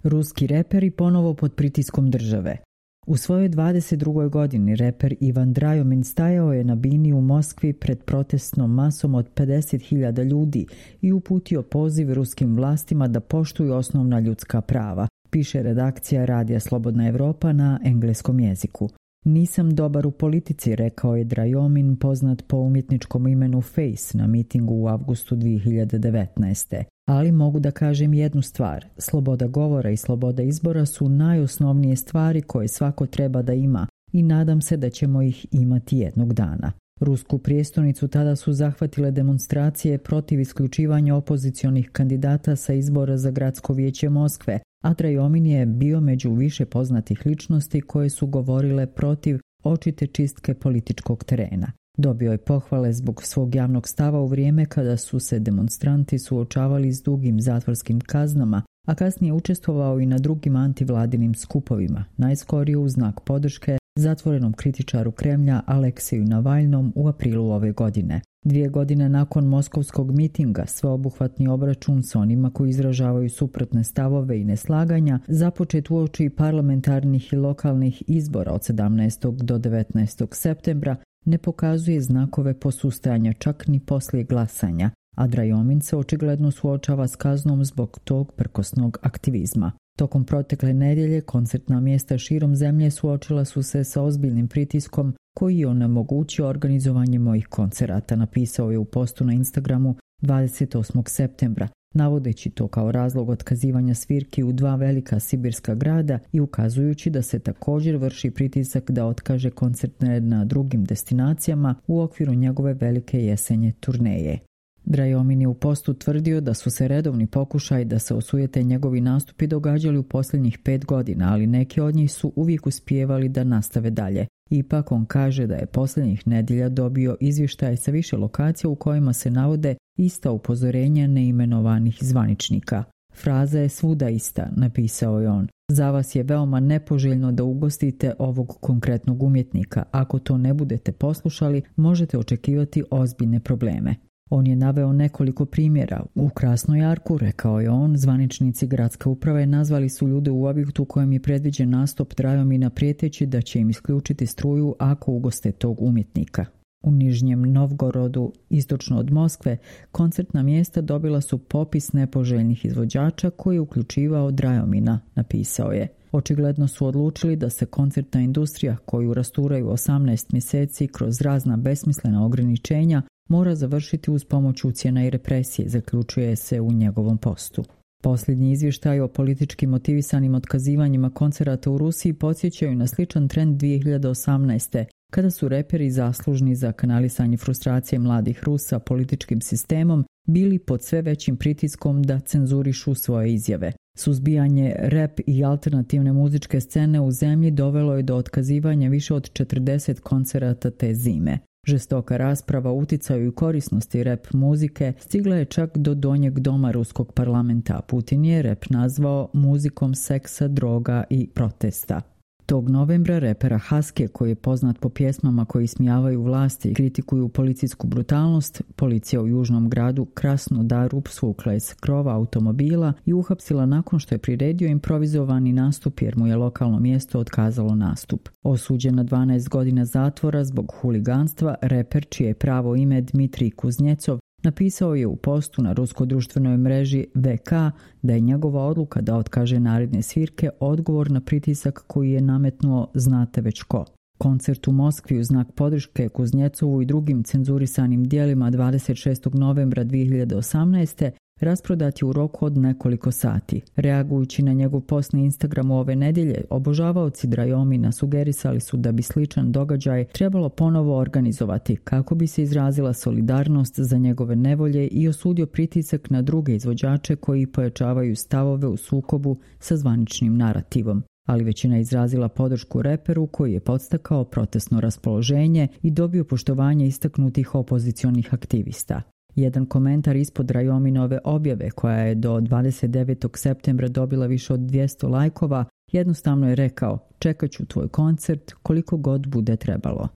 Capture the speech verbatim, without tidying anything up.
Ruski reperi ponovo pod pritiskom države. U svojoj dvadeset drugoj godini reper Ivan Drajomin stajao je na bini u Moskvi pred protestnom masom od pedeset hiljada ljudi i uputio poziv ruskim vlastima da poštuju osnovna ljudska prava, piše redakcija Radija Slobodna Evropa na engleskom jeziku. Nisam dobar u politici, rekao je Drajomin, poznat po umjetničkom imenu Face, na mitingu u avgustu dvije hiljade devetnaeste. Ali mogu da kažem jednu stvar. Sloboda govora i sloboda izbora su najosnovnije stvari koje svako treba da ima i nadam se da ćemo ih imati jednog dana. Rusku prijestolnicu tada su zahvatile demonstracije protiv isključivanja opozicionih kandidata sa izbora za gradsko vijeće Moskve, a Drajomin je bio među više poznatih ličnosti koje su govorile protiv očite čistke političkog terena. Dobio je pohvale zbog svog javnog stava u vrijeme kada su se demonstranti suočavali s dugim zatvorskim kaznama, a kasnije učestvovao i na drugim antivladinim skupovima, najskorije u znak podrške zatvorenom kritičaru Kremlja Aleksiju Navalnom u aprilu ove godine. Dvije godine nakon moskovskog mitinga, sveobuhvatni obračun s onima koji izražavaju suprotne stavove i neslaganja, započet uoči parlamentarnih i lokalnih izbora od sedamnaestog do devetnaestog septembra, ne pokazuje znakove posustajanja čak ni poslije glasanja, a Drajomin se očigledno suočava s kaznom zbog tog prkosnog aktivizma. Tokom protekle nedjelje koncertna mjesta širom zemlje suočila su se sa ozbiljnim pritiskom koji je onemogućio organizovanje mojih koncerata, napisao je u postu na Instagramu dvadeset osmog septembra, navodeći to kao razlog otkazivanja svirki u dva velika sibirska grada i ukazujući da se također vrši pritisak da otkaže koncerte na drugim destinacijama u okviru njegove velike jesenje turneje. Drajomin je u postu tvrdio da su se redovni pokušaji da se osujete njegovi nastupi događali u posljednjih pet godina, ali neki od njih su uvijek uspijevali da nastave dalje. Ipak on kaže da je posljednjih nedjelja dobio izvještaje sa više lokacija u kojima se navode ista upozorenja neimenovanih zvaničnika. Fraza je svuda ista, napisao je on. Za vas je veoma nepoželjno da ugostite ovog konkretnog umjetnika. Ako to ne budete poslušali, možete očekivati ozbiljne probleme. On je naveo nekoliko primjera. U Krasnojarku, rekao je on, zvaničnici gradske uprave nazvali su ljude u objektu kojem je predviđen nastup Drajomina prijeteći da će im isključiti struju ako ugoste tog umjetnika. U Nižnjem Novgorodu, istočno od Moskve, koncertna mjesta dobila su popis nepoželjnih izvođača koji je uključivao Drajomina, napisao je. Očigledno su odlučili da se koncertna industrija, koju rasturaju osamnaest mjeseci kroz razna besmislena ograničenja, mora završiti uz pomoć ucjena i represije, zaključuje se u njegovom postu. Posljednji izvještaj o politički motivisanim otkazivanjima koncerata u Rusiji podsjećaju na sličan trend dvije hiljade osamnaeste. kada su reperi zaslužni za kanalisanje frustracije mladih Rusa političkim sistemom bili pod sve većim pritiskom da cenzurišu svoje izjave. Suzbijanje rap i alternativne muzičke scene u zemlji dovelo je do otkazivanja više od četrdeset koncerata te zime. Žestoka rasprava o uticaju i korisnosti rap muzike stigla je čak do donjeg doma ruskog parlamenta. Putin je rap nazvao muzikom seksa, droga i protesta. Tog novembra repera Haske, koji je poznat po pjesmama koji ismijavaju vlasti i kritikuju policijsku brutalnost, policija u južnom gradu Krasnodaru svukla je s krova automobila i uhapsila nakon što je priredio improvizovani nastup jer mu je lokalno mjesto otkazalo nastup. Osuđen na dvanaest godina zatvora zbog huliganstva, reper, čije je pravo ime Dmitrij Kuznjecov, napisao je u postu na ruskoj društvenoj mreži V K da je njegova odluka da otkaže naredne svirke odgovor na pritisak koji je nametnuo znate već ko. Koncert u Moskvi u znak podrške Kuznjecovu i drugim cenzurisanim dijelima dvadeset šestog novembra dvije hiljade osamnaeste rasprodat je u roku od nekoliko sati. Reagujući na njegov post na Instagramu ove nedjelje, obožavaoci Drajomina sugerisali su da bi sličan događaj trebalo ponovo organizovati kako bi se izrazila solidarnost za njegove nevolje i osudio pritisak na druge izvođače koji pojačavaju stavove u sukobu sa zvaničnim narativom. Ali većina izrazila podršku reperu koji je podstakao protestno raspoloženje i dobio poštovanje istaknutih opozicionih aktivista. Jedan komentar ispod Drajominove objave, koja je do dvadeset devetog septembra dobila više od dvjesto lajkova, jednostavno je rekao: čekat ću tvoj koncert koliko god bude trebalo.